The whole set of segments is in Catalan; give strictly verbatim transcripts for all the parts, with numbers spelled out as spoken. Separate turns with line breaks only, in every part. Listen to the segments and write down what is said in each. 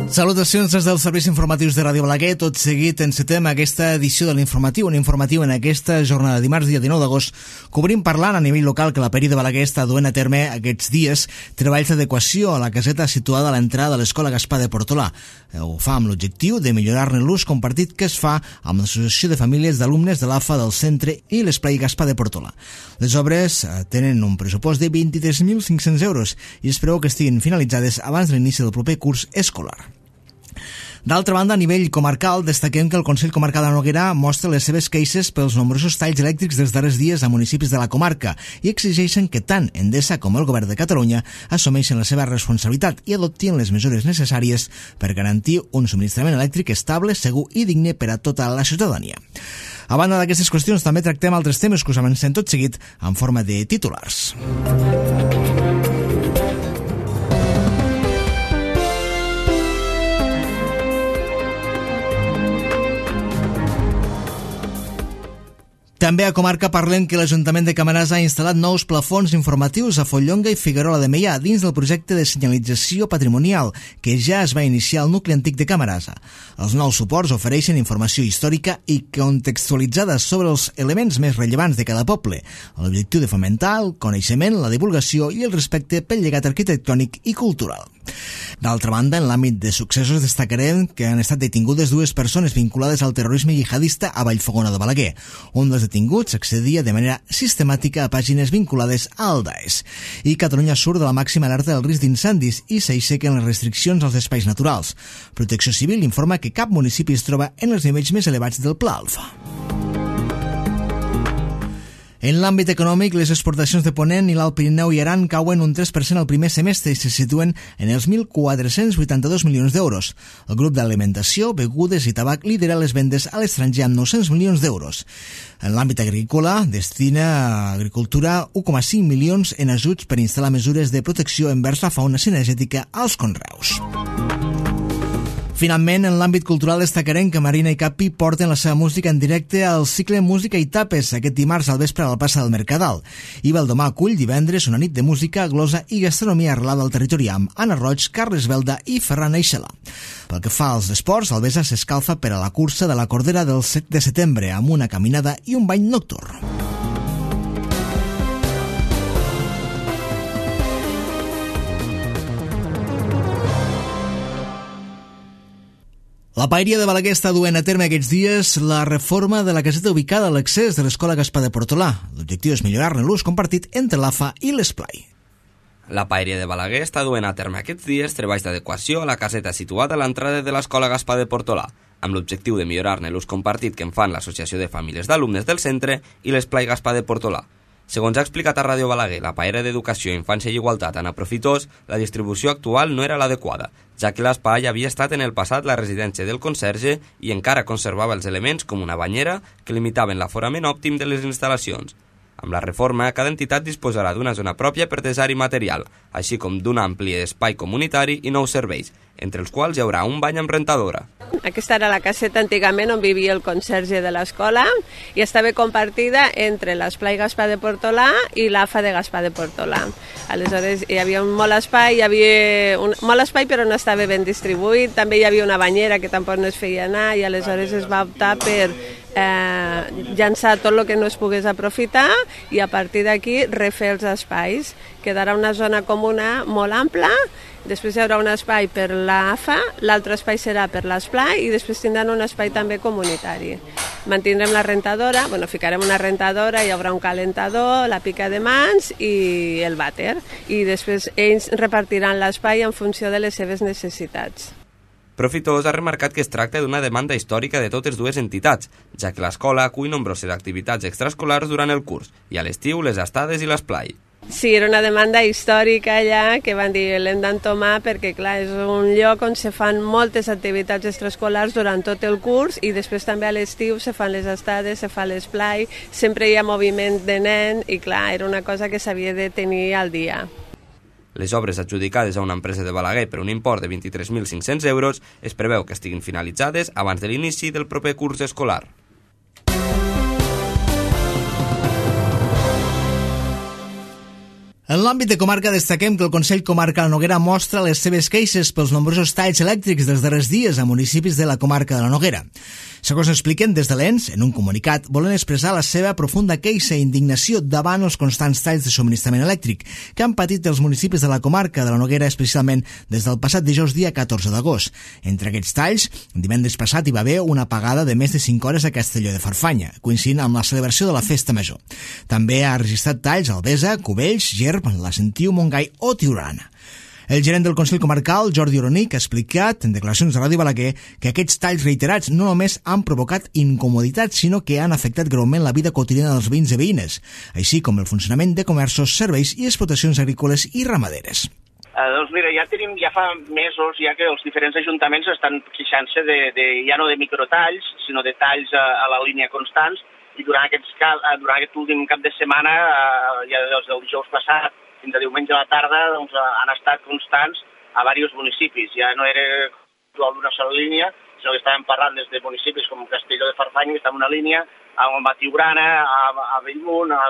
Salutacions des dels serveis informatius de Ràdio Balaguer. Tot seguit encetem aquesta edició de l'informatiu, un informatiu en aquesta jornada de dimarts, dia dinou d'agost, cobrim parlant a nivell local que la Peri de Balaguer està duent a terme aquests dies treballs d'adequació a la caseta situada a l'entrada de l'Escola Gaspar de Portolà. Ho fa amb l'objectiu de millorar-ne l'ús compartit que es fa amb l'Associació de Famílies d'Alumnes de l'A F A del Centre i l'Esplai Gaspar de Portolà. Les obres tenen un pressupost de vint-i-tres mil cinc-cents euros i es preveu que estiguin finalitzades abans de l'inici del proper curs escolar. D'altra banda, a nivell comarcal, destaquem que el Consell Comarcal de Noguera mostra les seves queixes pels nombrosos talls elèctrics dels darrers dies a municipis de la comarca i exigeixen que tant Endesa com el Govern de Catalunya assumeixen la seva responsabilitat i adoptin les mesures necessàries per garantir un subministrament elèctric estable, segur i digne per a tota la ciutadania. A banda d'aquestes qüestions, també tractem altres temes que us avancem tot seguit en forma de titulars. També a comarca parlem que l'Ajuntament de Camarasa ha instal·lat nous plafons informatius a Follonga i Figuerola de Meià dins del projecte de senyalització patrimonial que ja es va iniciar al nucli antic de Camarasa. Els nous suports ofereixen informació històrica i contextualitzada sobre els elements més rellevants de cada poble, amb l'objectiu de fomentar el coneixement, la divulgació i el respecte pel llegat arquitectònic i cultural. D'altra banda, en l'àmbit de successos destacarem que han estat detingudes dues persones vinculades al terrorisme jihadista a Vallfogona de Balaguer. Un dels detinguts accedia de manera sistemàtica a pàgines vinculades al Daesh. I Catalunya surt de la màxima alerta del risc d'incendis i s'aixequen les restriccions als espais naturals. Protecció Civil informa que cap municipi es troba en els nivells més elevats del Pla Alfa. En l'àmbit econòmic, les exportacions de Ponent i l'Alt Pirineu i Aran cauen un tres per cent al primer semestre i se situen en els mil quatre-cents vuitanta-dos milions d'euros. El grup d'alimentació, begudes i tabac lidera les vendes a l'estranger amb nou-cents milions d'euros. En l'àmbit agrícola, destina a Agricultura un coma cinc milions en ajuts per instal·lar mesures de protecció envers la fauna cinegètica als conreus. Finalment, en l'àmbit cultural destacarem que Marina i Capi porten la seva música en directe al cicle Música i Tapes aquest dimarts al vespre a la plaça del Mercadal. I Valdomar acull divendres una nit de música, glosa i gastronomia arrelada al territori amb Anna Roig, Carles Belda i Ferran Eixela. Pel que fa als esports, el Besa s'escalfa per a la cursa de la Cordera del set de setembre amb una caminada i un bany nocturn. La Paeria de Balaguer està duent a terme aquests dies la reforma de la caseta ubicada a l'accés de l'Escola Gaspar de Portolà. L'objectiu és millorar-ne l'ús compartit entre l'A F A i l'Esplai.
La Paeria de Balaguer està duent a terme aquests dies treballs d'adequació a la caseta situada a l'entrada de l'Escola Gaspar de Portolà, amb l'objectiu de millorar-ne l'ús compartit que en fan l'Associació de Famílies d'Alumnes del Centre i l'Esplai Gaspar de Portolà. Segons ha explicat a Ràdio Balaguer, la Paeria d'Educació, Infància i Igualtat, Anna Profitós, la distribució actual no era l'adequada, ja que l'espai havia estat en el passat la residència del conserge i encara conservava els elements com una banyera que limitaven l'aforament òptim de les instal·lacions. Amb la reforma, cada entitat disposarà d'una zona pròpia per desar-hi material, així com d'un ampli espai comunitari i nous serveis, entre els quals hi haurà un bany amb rentadora.
Aquesta era la caseta antigament on vivia el conserge de l'escola i estava compartida entre l'Esplai Gaspar de Portolà i l'A F A de Gaspar de Portolà. Aleshores hi havia un molt espai, hi havia un, molt espai però no estava ben distribuït, també hi havia una banyera que tampoc no es feia anar i aleshores es va optar per eh, llançar tot el que no es pogués aprofitar i a partir d'aquí refer els espais. Quedarà una zona comuna molt ampla. Després hi haurà un espai per l'A F A, l'altre espai serà per l'Esplai i després tindran un espai també comunitari. Mantindrem la rentadora, bueno, ficarem una rentadora, hi haurà un calentador, la pica de mans i el vàter. I després ells repartiran l'espai en funció de les seves necessitats.
Profitós ha remarcat que es tracta d'una demanda històrica de totes dues entitats, ja que l'escola acull nombroses activitats extraescolars durant el curs i a l'estiu les estades i l'esplai.
Sí, era una demanda històrica allà que van dir l'hem d'entomar perquè clar, és un lloc on se fan moltes activitats extraescolars durant tot el curs i després també a l'estiu se fan les estades, se fa l'esplai, sempre hi ha moviment de nen i clar, era una cosa que s'havia de tenir al dia.
Les obres adjudicades a una empresa de Balaguer per un import de vint-i-tres mil cinc-cents euros es preveu que estiguin finalitzades abans de l'inici del proper curs escolar.
En l'àmbit de comarca destaquem que el Consell Comarcal Noguera mostra les seves queixes pels nombrosos talls elèctrics dels darrers dies a municipis de la comarca de la Noguera. Segons expliquen des de l'E N S, en un comunicat, volen expressar la seva profunda queixa i indignació davant els constants talls de subministrament elèctric que han patit els municipis de la comarca de la Noguera, especialment des del passat dijous dia catorze d'agost. Entre aquests talls, divendres passat hi va haver una apagada de més de cinc hores a Castelló de Farfanya, coincidint amb la celebració de la Festa Major. També ha registrat talls a Albesa, Cubells, Gerb, la Sentiu, Montgai o Tiurana. El gerent del Consell Comarcal, Jordi Oronic, ha explicat en declaracions de Ràdio Balaguer que aquests talls reiterats no només han provocat incomoditats, sinó que han afectat greument la vida quotidiana dels veïns i veïnes, així com el funcionament de comerços, serveis i explotacions agrícoles i ramaderes.
Uh, doncs mira, ja tenim, ja fa mesos ja que els diferents ajuntaments estan queixant-se de, de, ja no de microtalls, sinó de talls a, a la línia constants, i durant, aquests, durant aquest últim cap de setmana, uh, ja des del dijous passat, fins a diumenge a la tarda, doncs, han estat constants a diversos municipis. Ja no era d'una sola línia, sinó que estàvem parlant des de municipis com Castelló de Farfanya, que està en una línia, a Tiurana, a, a Bellmunt, a,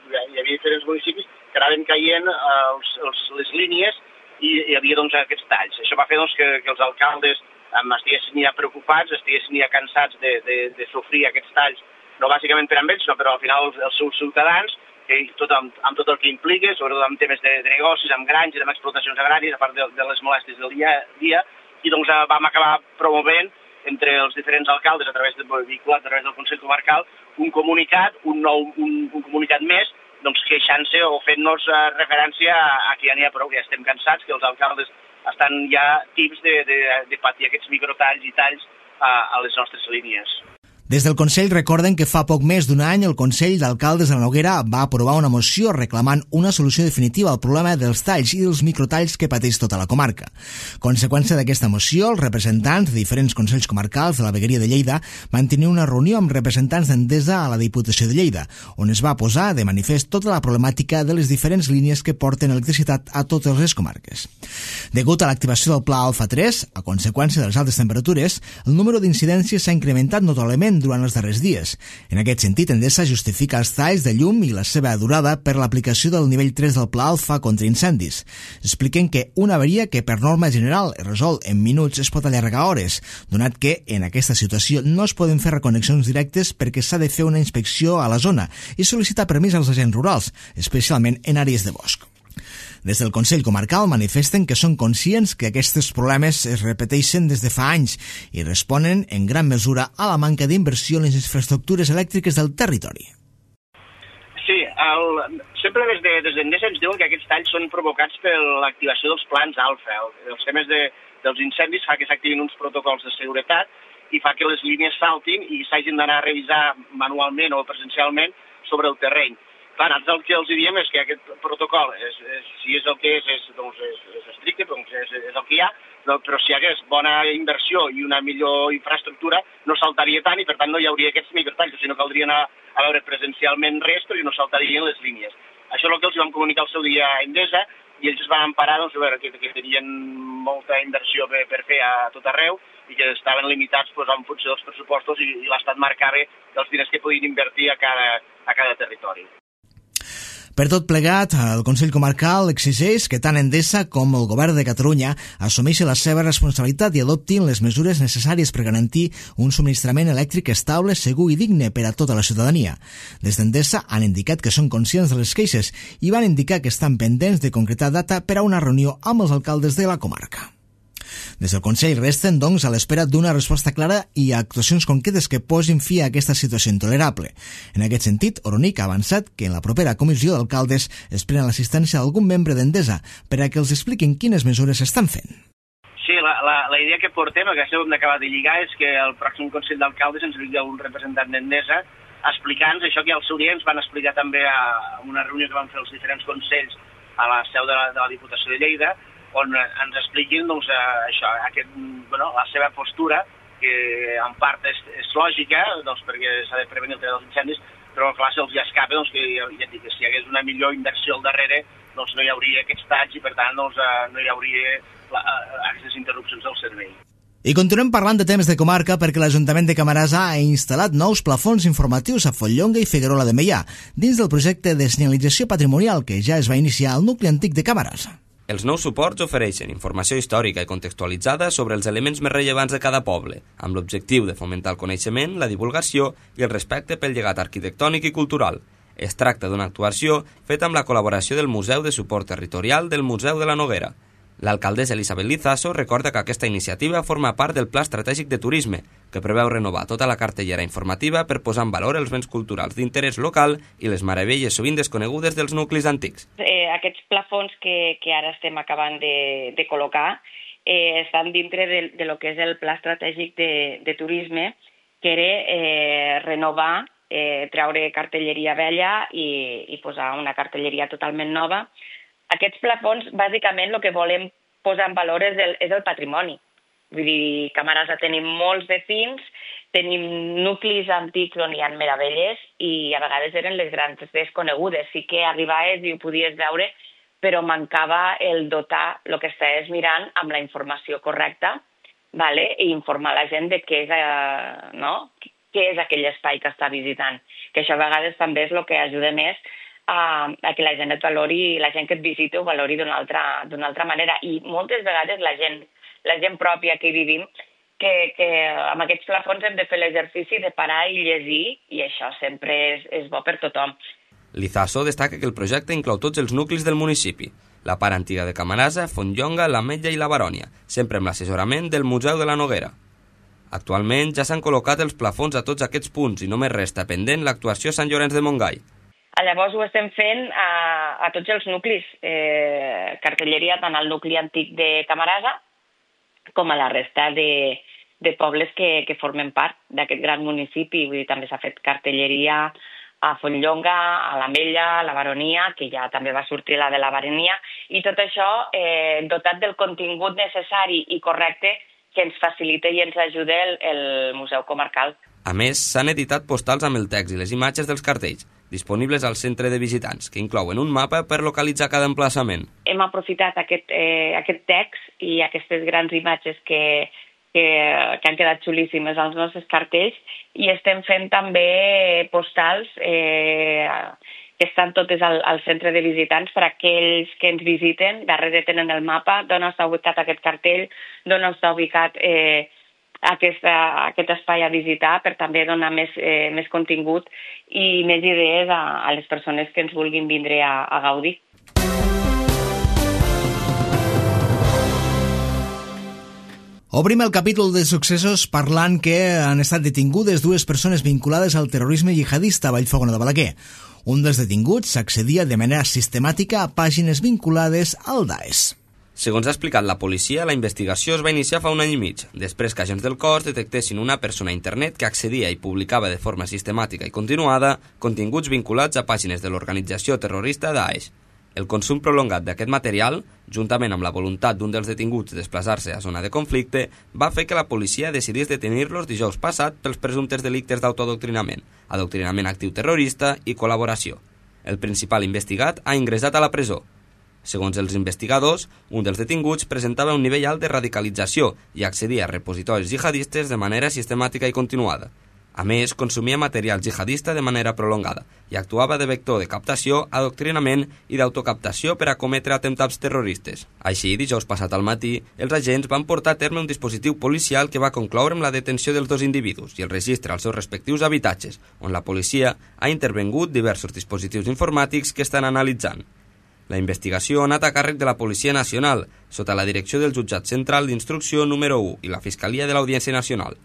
hi havia diferents municipis que anaven caient eh, els, els, les línies i hi havia doncs, aquests talls. Això va fer doncs, que, que els alcaldes eh, estiguessin ja preocupats, estiguessin ja cansats de, de, de sofrir aquests talls, no bàsicament per amb ells, sinó però al final els, els seus ciutadans, i tot amb, amb tot el que implica, sobretot amb temes de, de negocis, amb granges, amb explotacions agràries, a part de, de les molèsties del dia a dia, i doncs vam acabar promovent entre els diferents alcaldes a través de vehiculat, a través del Consell Comarcal, un comunicat, un nou un, un comunicat més, doncs queixant-se o fent-nos referència a, a que ja n'hi ha prou, ja estem cansats, que els alcaldes estan ja tips de, de, de patir aquests microtalls i talls a, a les nostres línies.
Des del Consell recorden que fa poc més d'un any el Consell d'Alcaldes de la Noguera va aprovar una moció reclamant una solució definitiva al problema dels talls i dels microtalls que pateix tota la comarca. Conseqüència d'aquesta moció, els representants de diferents consells comarcals de la vegueria de Lleida van tenir una reunió amb representants d'Endesa a la Diputació de Lleida, on es va posar de manifest tota la problemàtica de les diferents línies que porten electricitat a totes les comarques. Degut a l'activació del Pla Alfa tres, a conseqüència de les altes temperatures, el número d'incidències s'ha incrementat notablement durant els darrers dies. En aquest sentit, Endesa justifica els talls de llum i la seva durada per l'aplicació del nivell tres del Pla Alfa contra incendis. Expliquen que una avaria que per norma general es resol en minuts es pot allargar hores, donat que en aquesta situació no es poden fer reconnexions directes perquè s'ha de fer una inspecció a la zona i sol·licitar permís als agents rurals, especialment en àrees de bosc. Des del Consell Comarcal manifesten que són conscients que aquests problemes es repeteixen des de fa anys i responen en gran mesura a la manca d'inversió en les infraestructures elèctriques del territori.
Sí, el, sempre des de, des d'Endesa ens diuen que aquests talls són provocats per l'activació dels plans alfa. El, els temes de, dels incendis fa que s'activin uns protocols de seguretat i fa que les línies saltin i s'hagin d'anar a revisar manualment o presencialment sobre el terreny. Clar, nosaltres el que els diem és que aquest protocol, és, és, si és el que és, és, doncs és, és estricte, doncs és, és el que hi ha, però si hi hagués bona inversió i una millor infraestructura, no saltaria tant i per tant no hi hauria aquests microtalls, sinó caldria anar a veure presencialment res perquè no saltarien les línies. Això és el que els vam comunicar el seu dia a Endesa i ells es van emparar doncs, a veure, que, que tenien molta inversió per, per fer a tot arreu i que estaven limitats doncs, en funció dels pressupostos i, i l'Estat marcava els diners que podien invertir a cada, a cada territori.
Per tot plegat, el Consell Comarcal exigeix que tant Endesa com el Govern de Catalunya assumeixin la seva responsabilitat i adoptin les mesures necessàries per garantir un subministrament elèctric estable, segur i digne per a tota la ciutadania. Des d'Endesa han indicat que són conscients de les queixes i van indicar que estan pendents de concretar data per a una reunió amb els alcaldes de la comarca. Des del Consell resten, doncs, a l'espera d'una resposta clara i actuacions concretes que posin fi a aquesta situació intolerable. En aquest sentit, Oronic ha avançat que en la propera comissió d'alcaldes esperen l'assistència d'algun membre d'Endesa per a que els expliquin quines mesures estan fent.
Sí, la, la, la idea que portem, el que hem d'acabar de lligar, és que el pròxim Consell d'Alcaldes ens vingui un representant d'Endesa explicant-nos això que al seu dia ens van explicar també a una reunió que van fer els diferents consells a la seu de la, de la Diputació de Lleida, on ens expliquin doncs, això, aquest, bueno, la seva postura, que en part és, és lògica, doncs, perquè s'ha de prevenir el tema dels incendis, però clar, se'ls ja escapa doncs, que, ja dic, que si hi hagués una millor inversió al darrere, doncs no hi hauria aquests talls i per tant doncs, no hi hauria la, aquestes interrupcions del servei.
I continuem parlant de temes de comarca perquè l'Ajuntament de Camarasa ha instal·lat nous plafons informatius a Fontllonga i Figuerola de Meià dins del projecte de senyalització patrimonial que ja es va iniciar al nucli antic de Camarasa.
Els nous suports ofereixen informació històrica i contextualitzada sobre els elements més rellevants de cada poble, amb l'objectiu de fomentar el coneixement, la divulgació i el respecte pel llegat arquitectònic i cultural. Es tracta d'una actuació feta amb la col·laboració del Museu de Suport Territorial del Museu de la Noguera. L'alcaldessa Elisabet Lizaso recorda que aquesta iniciativa forma part del Pla Estratègic de Turisme, que preveu renovar tota la cartellera informativa per posar en valor els béns culturals d'interès local i les meravelles sovint desconegudes dels nuclis antics.
Eh, aquests plafons que, que ara estem acabant de, de col·locar eh, estan dintre de, de lo que és el Pla Estratègic de, de Turisme, que era eh, renovar, eh, treure cartelleria vella i, i posar una cartelleria totalment nova. Aquests plafons, bàsicament, el que volem posar en valor és el, és el patrimoni. Vull dir, a Camarasa tenim molts vecins, tenim nuclis antics on hi ha meravelles i a vegades eren les grans desconegudes. Sí que arribaves i ho podies veure, però mancava el dotar el que estaves mirant amb la informació correcta, vale? I informar la gent de què és, eh, no? què és aquell espai que està visitant. Que això a vegades també és el que ajuda més a, a que la gent et valori, la gent que et visita ho valori d'una altra, d'una altra manera. I moltes vegades la gent, la gent pròpia que hi vivim, que, que amb aquests plafons hem de fer l'exercici de parar i llegir, i això sempre és, és bo per tothom.
Lizaso destaca que el projecte inclou tots els nuclis del municipi, la part antiga de Camarasa, Fontllonga, l'Ametlla i la Barònia, sempre amb l'assessorament del Museu de la Noguera. Actualment ja s'han col·locat els plafons a tots aquests punts i només resta pendent l'actuació a Sant Llorenç de Montgai.
Llavors ho estem fent a, a tots els nuclis, eh, cartelleria tant al nucli antic de Camarasa com a la resta de, de pobles que, que formen part d'aquest gran municipi. Vull dir, també s'ha fet cartelleria a Fontllonga, a l'Ametlla, a la Baronia, que ja també va sortir la de la Baronia, i tot això eh, dotat del contingut necessari i correcte que ens facilita i ens ajuda el, el Museu Comarcal.
A més, s'han editat postals amb el text i les imatges dels cartells, disponibles al centre de visitants, que inclouen un mapa per localitzar cada emplaçament.
Hem aprofitat aquest, eh, aquest text i aquestes grans imatges que, que, que han quedat xulíssimes als nostres cartells i estem fent també postals eh, que estan totes al, al centre de visitants per a aquells que ens visiten. Darrere tenen el mapa d'on està ubicat aquest cartell, d'on està ubicat eh, Aquesta, aquest espai a visitar per també donar més, eh, més contingut i més idees a, a les persones que ens vulguin vindre a, a gaudir.
Obrim el capítol de successos parlant que han estat detingudes dues persones vinculades al terrorisme jihadista a Vallfogona de Balaguer. Un dels detinguts s'accedia de manera sistemàtica a pàgines vinculades al Daesh.
Segons ha explicat la policia, la investigació es va iniciar fa un any i mig, després que agents del cos detectessin una persona a internet que accedia i publicava de forma sistemàtica i continuada continguts vinculats a pàgines de l'organització terrorista Daesh. El consum prolongat d'aquest material, juntament amb la voluntat d'un dels detinguts de desplaçar-se a zona de conflicte, va fer que la policia decidís detenir-los dijous passat pels presumptes delictes d'autoadoctrinament, adoctrinament actiu terrorista i col·laboració. El principal investigat ha ingressat a la presó. Segons els investigadors, un dels detinguts presentava un nivell alt de radicalització i accedia a repositoris jihadistes de manera sistemàtica i continuada. A més, consumia material jihadista de manera prolongada i actuava de vector de captació, adoctrinament i d'autocaptació per a cometre atemptats terroristes. Així, dijous passat al matí, els agents van portar a terme un dispositiu policial que va concloure amb la detenció dels dos individus i el registre als seus respectius habitatges, on la policia ha intervengut diversos dispositius informàtics que estan analitzant. La investigació ha anat a càrrec de la Policia Nacional, sota la direcció del Jutjat Central d'Instrucció número u i la Fiscalia de l'Audiència Nacional.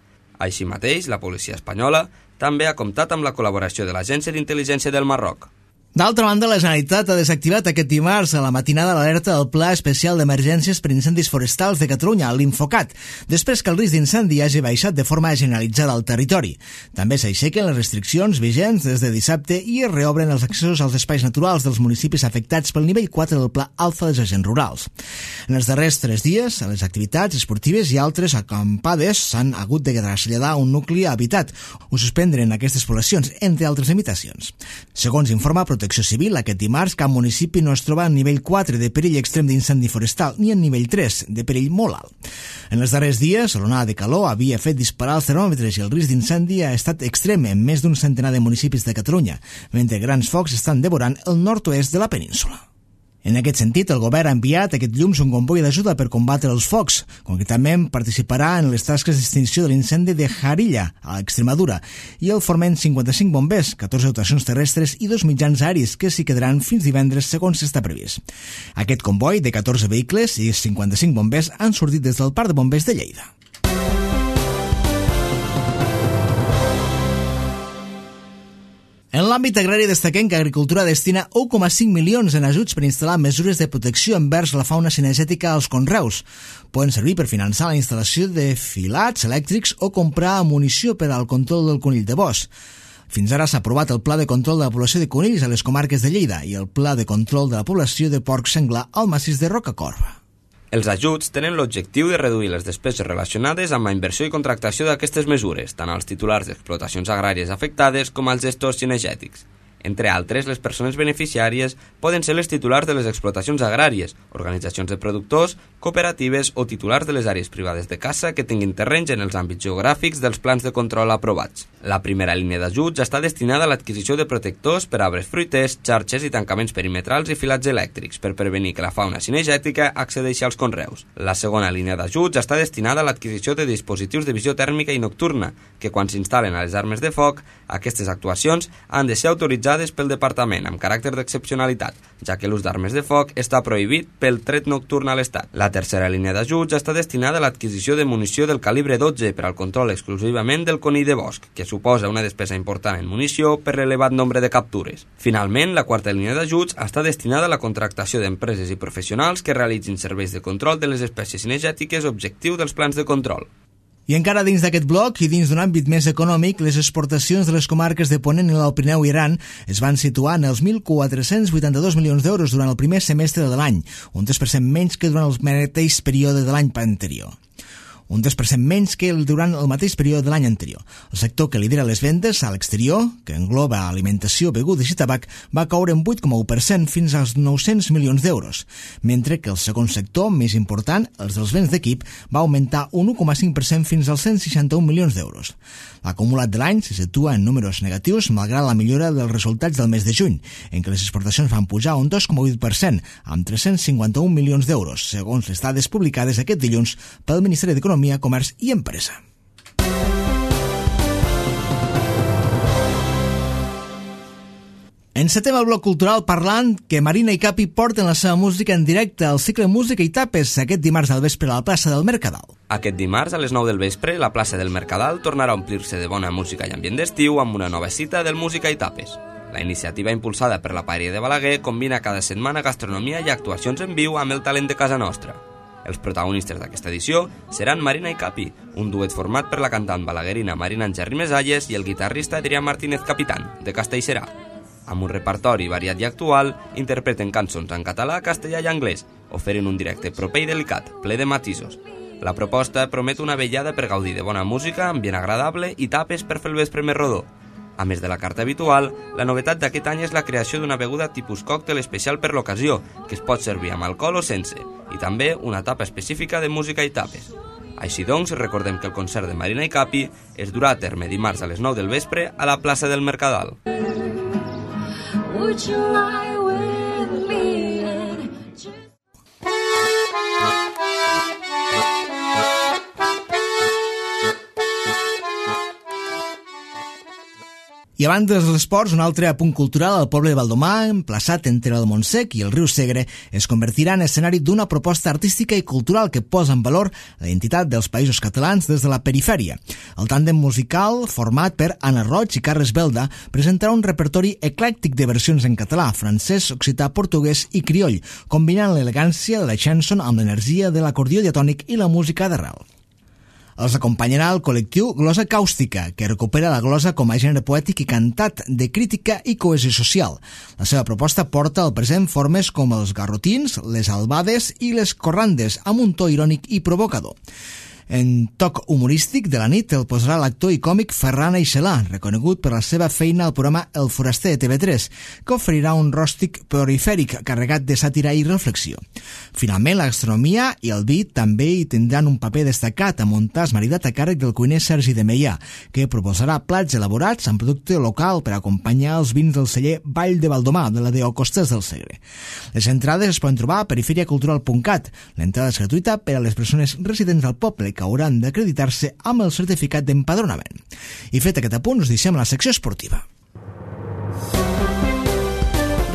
Així mateix, la policia espanyola també ha comptat amb la col·laboració de l'Agència d'Intel·ligència del Marroc.
D'altra banda, la Generalitat ha desactivat aquest dimarts a la matinada l'alerta del Pla Especial d'Emergències per Incendis Forestals de Catalunya, l'Infocat, després que el risc d'incendi hagi baixat de forma generalitzada al territori. També s'aixequen les restriccions vigents des de dissabte i es reobren els accessos als espais naturals dels municipis afectats pel nivell quatre del Pla Alfa dels Agents Rurals. En els darrers tres dies, a les activitats esportives i altres acampades s'han hagut de traslladar un nucli habitat o suspendre aquestes poblacions, entre altres limitacions. Segons informa Protecció Civil, aquest dimarts cap municipi no es troba en nivell quatre de perill extrem d'incendi forestal ni en nivell tres de perill molt alt. En els darrers dies, l'onada de calor havia fet disparar els termòmetres i el risc d'incendi ha estat extrem en més d'un centenar de municipis de Catalunya, mentre grans focs estan devorant el nord-oest de la península. En aquest sentit, el govern ha enviat aquest dilluns un comboi d'ajuda per combatre els focs. Concretament, participarà en les tasques d'extinció de l'incendi de Jarilla, a Extremadura, i el forment cinquanta-cinc bombers, catorze dotacions terrestres i dos mitjans aeris que s'hi quedaran fins divendres, segons està previst. Aquest comboi de catorze vehicles i cinquanta-cinc bombers han sortit des del Parc de Bombers de Lleida. En l'àmbit agrari destaquem que Agricultura destina un coma cinc milions en ajuts per instal·lar mesures de protecció envers la fauna cinegètica als conreus. Poden servir per finançar la instal·lació de filats elèctrics o comprar munició per al control del conill de bosc. Fins ara s'ha aprovat el Pla de Control de la Població de Conills a les comarques de Lleida i el Pla de Control de la Població de Porc Senglar al massís de Rocacorba.
Els ajuts tenen l'objectiu de reduir les despeses relacionades amb la inversió i contractació d'aquestes mesures, tant als titulars d'explotacions agràries afectades com als gestors cinegètics. Entre altres, les persones beneficiàries poden ser les titulars de les explotacions agràries, organitzacions de productors, cooperatives o titulars de les àrees privades de caça que tinguin terrenys en els àmbits geogràfics dels plans de control aprovats. La primera línia d'ajuts està destinada a l'adquisició de protectors per arbres fruiters, xarxes i tancaments perimetrals i filats elèctrics per prevenir que la fauna cinegètica accedeixi als conreus. La segona línia d'ajuts està destinada a l'adquisició de dispositius de visió tèrmica i nocturna, que quan s'instal·len a les armes de foc, aquestes actuacions han de ser autoritzades pel Departament amb caràcter d'excepcionalitat, ja que l'ús d'armes de foc està prohibit pel tret nocturn a l'Estat. La tercera línia d'ajuts està destinada a l'adquisició de munició del calibre dotze per al control exclusivament del conill de bosc, que suposa una despesa important en munició per l'elevat nombre de captures. Finalment, la quarta línia d'ajuts està destinada a la contractació d'empreses i professionals que realitzin serveis de control de les espècies cinegètiques objectiu dels plans de control.
I encara dins d'aquest bloc i dins d'un àmbit més econòmic, les exportacions de les comarques de Ponent i l'Alt Pirineu i Aran es van situar en els mil quatre-cents vuitanta-dos milions d'euros durant el primer semestre de l'any, un tres per cent menys que durant el mateix període de l'any anterior. Un tres per cent menys que durant el mateix període de l'any anterior. El sector que lidera les vendes a l'exterior, que engloba alimentació, begudes i tabac, va caure en vuit coma u per cent fins als nou-cents milions d'euros, mentre que el segon sector, més important, els dels béns d'equip, va augmentar un u coma cinc per cent fins als cent seixanta-un milions d'euros. L'acumulat de l'any se situa en números negatius malgrat la millora dels resultats del mes de juny, en què les exportacions van pujar un dos coma vuit per cent, amb tres-cents cinquanta-un milions d'euros, segons les dades publicades aquest dilluns pel Ministeri d'Economia, Comerç i Empresa. Encetem el bloc cultural parlant que Marina i Capi porten la seva música en directe al cicle Música i Tapes aquest dimarts al vespre a la plaça del Mercadal.
Aquest dimarts a les nou del vespre, la plaça del Mercadal tornarà a omplir-se de bona música i ambient d'estiu amb una nova cita del Música i Tapes. La iniciativa impulsada per la Paeria de Balaguer combina cada setmana gastronomia i actuacions en viu amb el talent de casa nostra. Els protagonistes d'aquesta edició seran Marina i Capi, un duet format per la cantant balaguerina Marina Angerri Mesalles i el guitarrista Adrià Martínez Capitán, de Castellserà. Amb un repertori variat i actual, interpreten cançons en català, castellà i anglès, oferint un directe proper i delicat, ple de matisos. La proposta promet una vellada per gaudir de bona música, ambient agradable i tapes per fer el vespre més rodó. A més de la carta habitual, la novetat d'aquest any és la creació d'una beguda tipus còctel especial per l'ocasió, que es pot servir amb alcohol o sense, i també una tapa específica de música i tapes. Així doncs, recordem que el concert de Marina i Capi es durà a terme dimarts a les nou del vespre a la plaça del Mercadal. Would you lie with me and just... I abans dels esports, un altre apunt cultural al poble de Valdomar, emplaçat entre el Montsec i el riu Segre, es convertirà en escenari d'una proposta artística i cultural que posa en valor la identitat dels països catalans des de la perifèria. El tàndem musical, format per Anna Roig i Carles Belda, presentarà un repertori eclèctic de versions en català, francès, occità, portuguès i crioll, combinant l'elegància de la chanson amb l'energia de l'acordió diatònic i la música d'arrel.
Els acompanyarà el col·lectiu Glosa Càustica, que recupera la glosa com a gènere poètic i cantat de crítica i cohesió social. La seva proposta porta al present formes com els garrotins, les albades i les corrandes, amb un to irònic i provocador. En toc humorístic de la nit el posarà l'actor i còmic Ferran Aixelà, reconegut per la seva feina al programa El Foraster de T V tres, que oferirà un ròstic perifèric carregat de sàtira i reflexió. Finalment, la gastronomia i el vi també hi tindran un paper destacat amb un tas maridat a càrrec del cuiner Sergi de Meià, que proposarà plats elaborats amb producte local per acompanyar els vins del celler Vall de Valdomà, de la D O Costes del Segre. Les entrades es poden trobar a periferia cultural punt cat. L'entrada és gratuïta per a les persones residents del poble, que hauran d'acreditar-se amb el certificat d'empadronament. I fet aquest apunt, us deixem a la secció esportiva.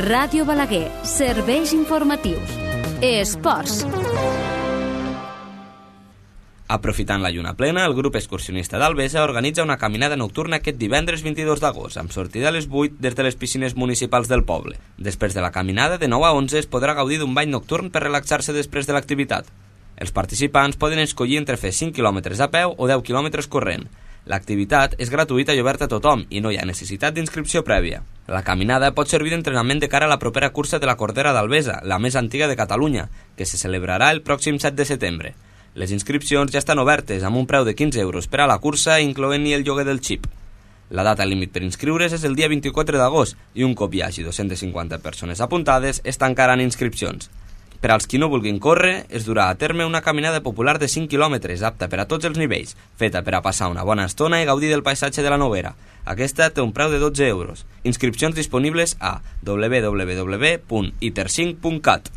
Ràdio Balaguer, serveis informatius. Esports.
Aprofitant la lluna plena, el grup excursionista d'Albesa organitza una caminada nocturna aquest divendres vint-i-dos d'agost, amb sortida a les vuit des de les piscines municipals del poble. Després de la caminada, de nou a onze es podrà gaudir d'un bany nocturn per relaxar-se després de l'activitat. Els participants poden escollir entre fer cinc quilòmetres a peu o deu quilòmetres corrent. L'activitat és gratuïta i oberta a tothom i no hi ha necessitat d'inscripció prèvia. La caminada pot servir d'entrenament de cara a la propera cursa de la Cordera d'Albesa, la més antiga de Catalunya, que se celebrarà el pròxim set de setembre. Les inscripcions ja estan obertes, amb un preu de quinze euros per a la cursa, incloent-hi el lloguer del xip. La data límit per inscriure's és el dia vint-i-quatre d'agost i un cop hi hagi dos-centes cinquanta persones apuntades es tancaran inscripcions. Per als qui no vulguin córrer, es durà a terme una caminada popular de cinc quilòmetres, apta per a tots els nivells, feta per a passar una bona estona i gaudir del paisatge de la Noguera. Aquesta té un preu de dotze euros. Inscripcions disponibles a w w w punt iter cinc punt cat.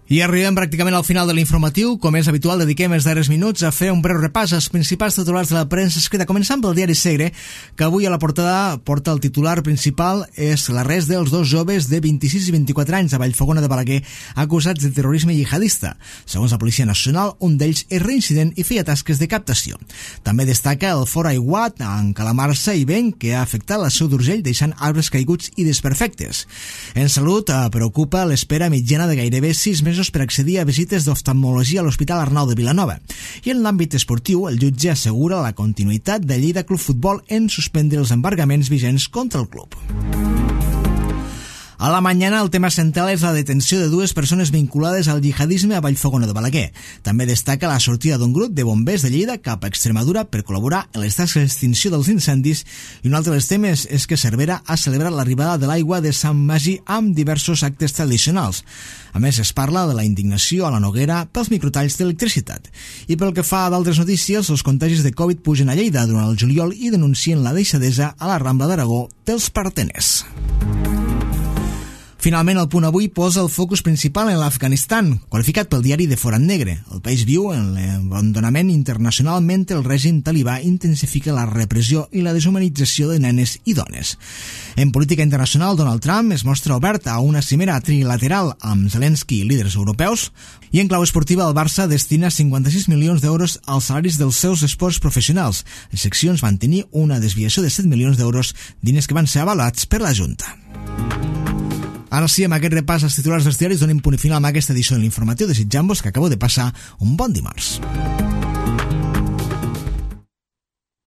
I arribem pràcticament al final de l'informatiu. Com és habitual, dediquem els darrers minuts a fer un breu repàs als principals titulars de la premsa escrita, començant pel diari Segre, que avui a la portada porta el titular principal és l'arrest dels dos joves de vint-i-sis i vint-i-quatre anys a Vallfogona de Balaguer acusats de terrorisme jihadista. Segons la Policia Nacional, un d'ells és reincident i feia tasques de captació. També destaca el fort aiguat en calamarsa i vent que ha afectat la Seu d'Urgell, deixant arbres caiguts i desperfectes. En salut, preocupa l'espera mitjana de gairebé sis mesos per accedir a visites d'oftalmologia a l'Hospital Arnau de Vilanova. I en l'àmbit esportiu, el jutge assegura la continuïtat de Lleida Club Futbol en suspendre els embargaments vigents contra el club. A la mañana, el tema central és la detenció de dues persones vinculades al jihadisme a Vallfogona de Balaguer. També destaca la sortida d'un grup de bombers de Lleida cap a Extremadura per col·laborar en les tasques d'extinció dels incendis, i un altre dels temes és que Cervera ha celebrat l'arribada de l'aigua de Sant Magí amb diversos actes tradicionals. A més, es parla de la indignació a la Noguera pels microtalls d'electricitat. I pel que fa a d'altres notícies, els contagis de Covid pugen a Lleida durant el juliol i denuncien la deixadesa a la Rambla d'Aragó dels parteners. Finalment, el Punt Avui posa el focus principal en l'Afganistan, qualificat pel diari de Forat Negre. El país viu en l'abandonament internacional mentre el règim talibà intensifica la repressió i la deshumanització de nenes i dones. En política internacional, Donald Trump es mostra obert a una cimera trilateral amb Zelensky i líders europeus, i en clau esportiva el Barça destina cinquanta-sis milions d'euros als salaris dels seus esports professionals. Les seccions van tenir una desviació de set milions d'euros, diners que van ser avalats per la Junta. Ara sí, amb aquest repàs als titulars dels diaris donem punt i final amb aquesta edició de l'informatiu, desitjant-vos que acabeu de passar un bon dimarts.